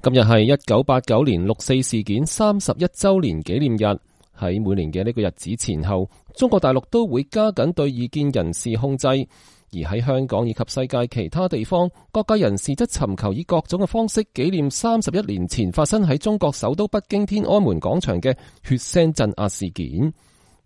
今日係1989年六四事件31周年紀念日。喺每年嘅呢個日子前後，中國大陸都會加緊對異見人士控制，而喺香港以及世界其他地方，各界人士則尋求以各種嘅方式紀念31年前發生喺中國首都北京天安門廣場嘅血腥鎮壓事件。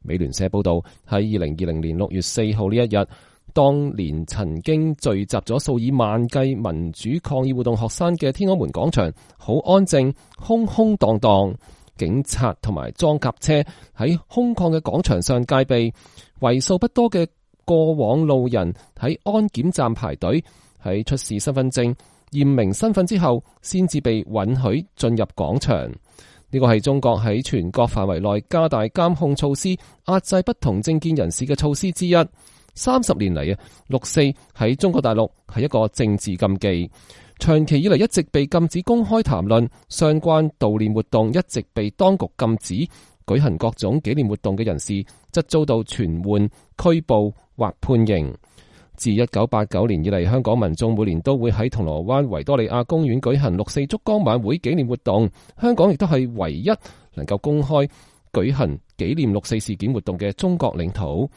美聯社報道，喺2020年6月4號呢一日，當年曾經聚集咗數以萬計民主抗議活動學生嘅天安門廣場，好安靜，空空蕩蕩。警察同埋裝甲車喺空曠嘅廣場上戒備，為數不多嘅過往路人喺安檢站排隊，喺出示身份證驗明身份之後，先至被允許進入廣場。呢個係中國喺全國範圍內加大監控措施，壓制不同政見人士嘅措施之一。30年嚟六四喺中國大陸係一個政治禁忌。長期以嚟一直被禁止公開談論，相關悼念活動一直被當局禁止，舉行各種紀念活動嘅人士則遭到傳喚、拘捕或判刑。自1989年以嚟，香港民眾每年都會喺銅鑼灣維多利亞公園舉行六四燭光晚會紀念活動，香港亦都係唯一能夠公開舉行紀念六四事件活動嘅中國領土。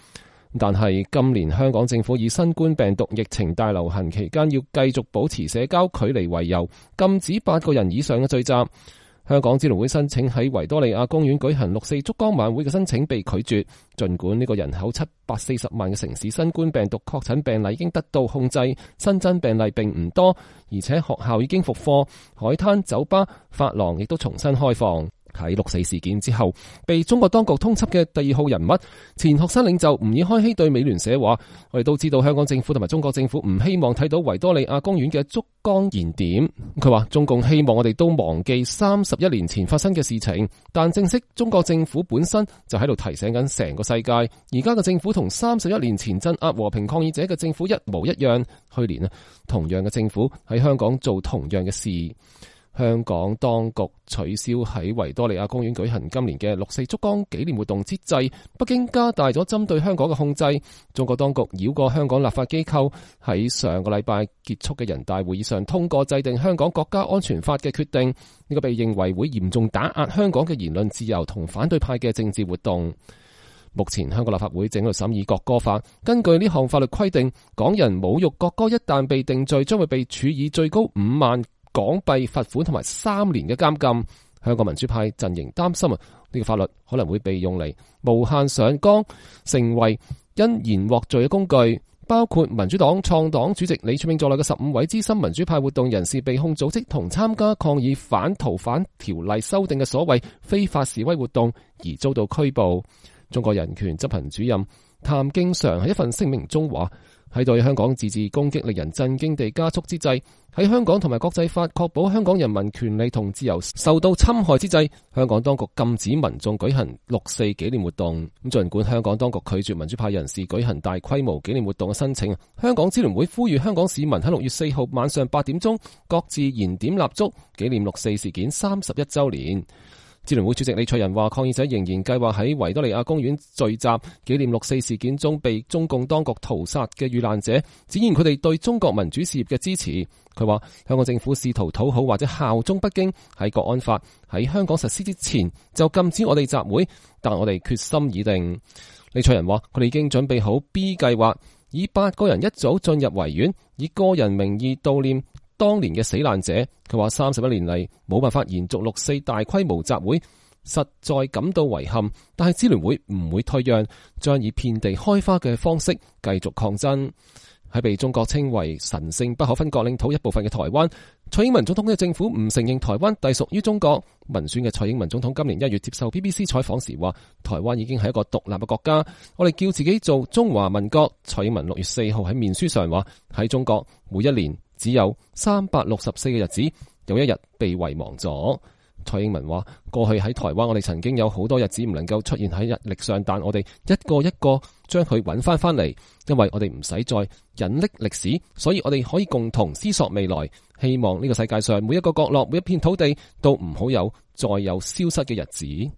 但係今年香港政府以新冠病毒疫情大流行期間要繼續保持社交距離為由，禁止8個人以上嘅聚集。香港支聯會申請喺維多利亞公園舉行六四燭光晚會嘅申請被拒絕。儘管呢個人口740萬嘅城市新冠病毒確診病例已經得到控制，新增病例並唔多，而且學校已經復課，海灘、酒吧、髮廊亦都重新開放。喺六四事件之後，被中國當局通緝嘅第2號人物前學生領袖吾爾開希對美聯社話：我哋都知道香港政府同埋中國政府唔希望睇到維多利亞公園嘅燭光燃點。佢話中共希望我哋都忘記31年前發生嘅事情，但正式中國政府本身就喺度提醒緊成個世界，而家嘅政府同31年前鎮壓和平抗議者嘅政府一模一樣。去年同樣嘅政府喺香港做同樣嘅事。香港當局取消喺維多利亞公園舉行今年嘅六四燭光紀念活動之際，北京加大咗針對香港嘅控制。中國當局繞過香港立法機構，喺上個禮拜結束嘅人大會議上通過制定香港國家安全法嘅決定，呢個被認為會嚴重打壓香港嘅言論自由同反對派嘅政治活動。目前香港立法會正喺度審議國歌法，根據呢項法律規定，港人侮辱國歌一旦被定罪，將會被處以最高5萬港幣罰款同埋3年嘅監禁。香港民主派陣營擔心呢個法律可能會被用嚟無限上綱，成為因言獲罪嘅工具。包括民主黨創黨主席李柱銘在內嘅15位資深民主派活動人士被控組織同參加抗議反逃犯條例修訂嘅所謂非法示威活動而遭到拘捕。中國人權執行主任譚敬常喺一份聲明中話：喺對香港自治攻擊令人震驚地加速之際，喺香港同埋國際法確保香港人民權利同自由受到侵害之際，香港當局禁止民眾舉行六四紀念活動。咁儘管香港當局拒絕民主派人士舉行大規模紀念活動嘅申請，香港支聯會呼籲香港市民喺6月4號晚上8點鐘各自燃點蠟燭，紀念六四事件31週年。支聯會主席李卓人話：抗議者仍然計劃喺維多利亞公園聚集，紀念六四事件中被中共當局屠殺嘅遇難者，展現佢哋對中國民主事業嘅支持。佢話香港政府試圖討好或者效忠北京，喺國安法喺香港實施之前就禁止我哋集會，但我哋決心已定。李卓人話佢哋已經準備好 B 計劃，以8個人一組進入維園，以個人名義悼念當年嘅死難者。佢話31年嚟冇辦法延續六四大規模集會，實在感到遺憾，但係支聯會唔會退讓，將以遍地開花嘅方式繼續抗爭。喺被中國稱為神聖不可分割領土一部分嘅台灣，蔡英文總統嘅政府唔承認台灣隸屬於中國。民選嘅蔡英文總統今年1月接受 BBC 採訪時話：台灣已經係一個獨立嘅國家，我哋叫自己做中華民國。蔡英文6月4號喺面書上話：喺中國每一年只有364個日子，有一日被遺忘咗。蔡英文話：過去喺台灣，我哋曾經有好多日子唔能夠出現喺日曆上，但我哋一個一個將佢揾翻嚟，因為我哋唔使再隱匿歷史，所以我哋可以共同思索未來。希望呢個世界上每一個角落、每一片土地都唔好有再有消失嘅日子。